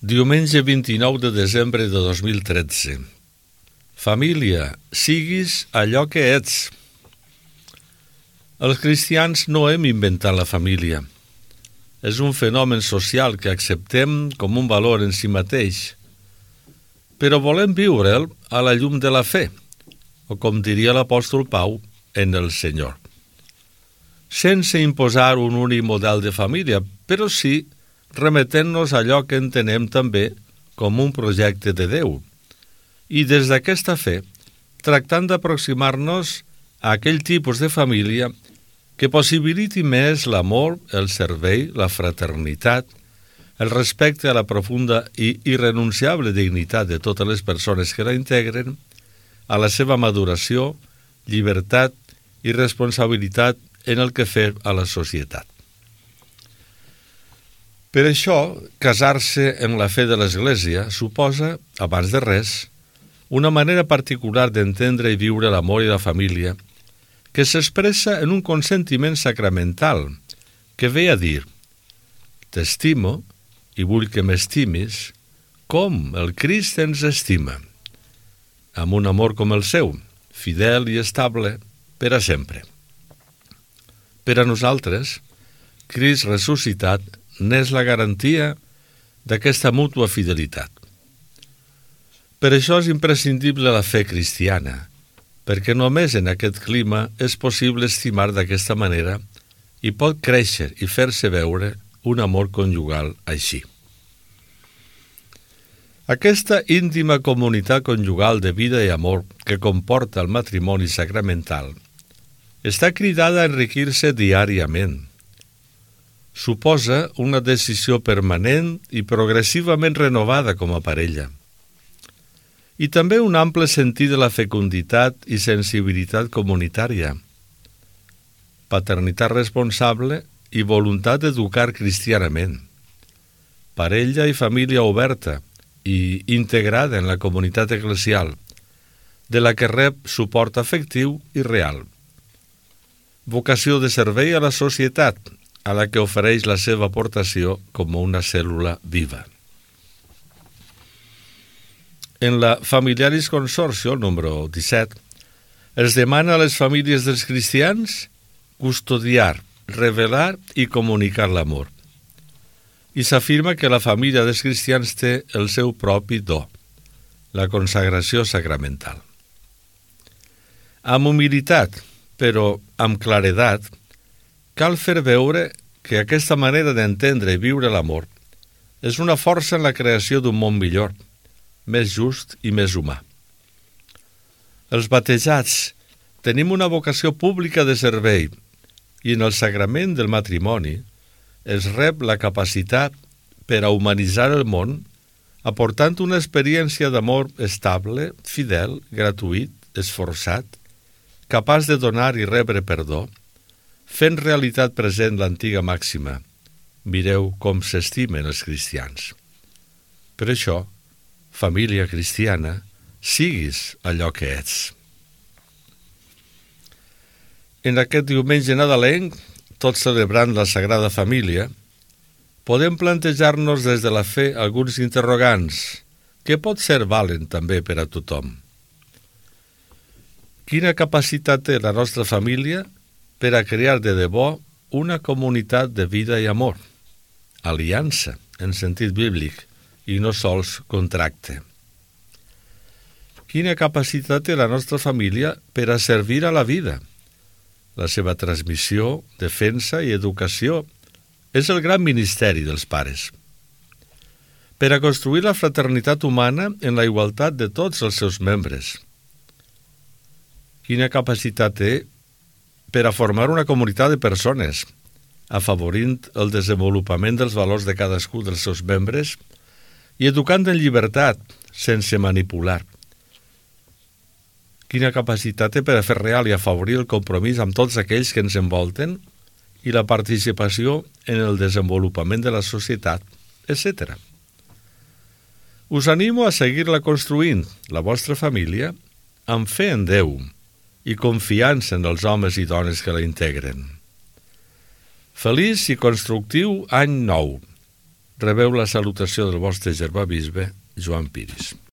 Diumenge 29 de desembre de 2013. Família, siguis allò que ets. Els cristians no hem inventat la família. És un fenomen social que acceptem com un valor en si mateix, però volem viure'l a la llum de la fe, o com diria l'apòstol Pau, en el Senyor. Sense imposar un únic model de família, però sí remetent-nos a allò que entenem també com un projecte de Déu, i des d'aquesta fe, tractant d'aproximar-nos a aquell tipus de família que possibiliti més l'amor, el servei, la fraternitat, el respecte a la profunda i irrenunciable dignitat de totes les persones que la integren, a la seva maduració, llibertat i responsabilitat en el que fer a la societat. Per això, casar-se en la fe de l'Església suposa, abans de res, una manera particular d'entendre i viure l'amor i la família que s'expressa en un consentiment sacramental que ve a dir: t'estimo i vull que m'estimis com el Crist ens estima, amb un amor com el seu, fidel i estable per a sempre. Per a nosaltres, Crist ressuscitat n'és la garantia d'aquesta mútua fidelitat. Per això és imprescindible la fe cristiana, perquè només en aquest clima és possible estimar d'aquesta manera i pot créixer i fer-se veure un amor conjugal així. Aquesta íntima comunitat conjugal de vida i amor que comporta el matrimoni sacramental està cridada a enriquir-se diàriament. Suposa una decisió permanent i progressivament renovada com a parella. I també un ample sentit de la fecunditat i sensibilitat comunitària, paternitat responsable i voluntat d'educar cristianament, parella i família oberta i integrada en la comunitat eclesial, de la que rep suport afectiu i real, vocació de servei a la societat, a la que ofereix la seva aportació com una cèl·lula viva. En la Familiaris Consortio, número 17, es demana a les famílies dels cristians custodiar, revelar i comunicar l'amor. I s'afirma que la família dels cristians té el seu propi do, la consagració sacramental. Amb humilitat, però amb claredat, cal fer veure que aquesta manera d'entendre i viure l'amor és una força en la creació d'un món millor, més just i més humà. Els batejats tenim una vocació pública de servei i en el sagrament del matrimoni es rep la capacitat per a humanitzar el món aportant una experiència d'amor estable, fidel, gratuït, esforçat, capaç de donar i rebre perdó, fent realitat present l'antiga màxima: mireu com s'estimen els cristians. Per això, família cristiana, siguis allò que ets. En aquest diumenge nadalenc, tot celebrant la Sagrada Família, podem plantejar-nos des de la fe alguns interrogants que pot ser valen també per a tothom. Quina capacitat té la nostra família per a crear de debò una comunitat de vida i amor, aliança en sentit bíblic i no sols contracte? Quina capacitat té la nostra família per a servir a la vida? La seva transmissió, defensa i educació és el gran ministeri dels pares. Per a construir la fraternitat humana en la igualtat de tots els seus membres. Quina capacitat té per a formar una comunitat de persones, afavorint el desenvolupament dels valors de cadascú dels seus membres i educant en llibertat, sense manipular. Quina capacitat té per a fer real i afavorir el compromís amb tots aquells que ens envolten i la participació en el desenvolupament de la societat, etc. Us animo a seguir-la construint, la vostra família, amb fe en Déu i confiança en els homes i dones que la integren. Feliç i constructiu any nou. Rebeu la salutació del vostre germà bisbe, Joan Piris.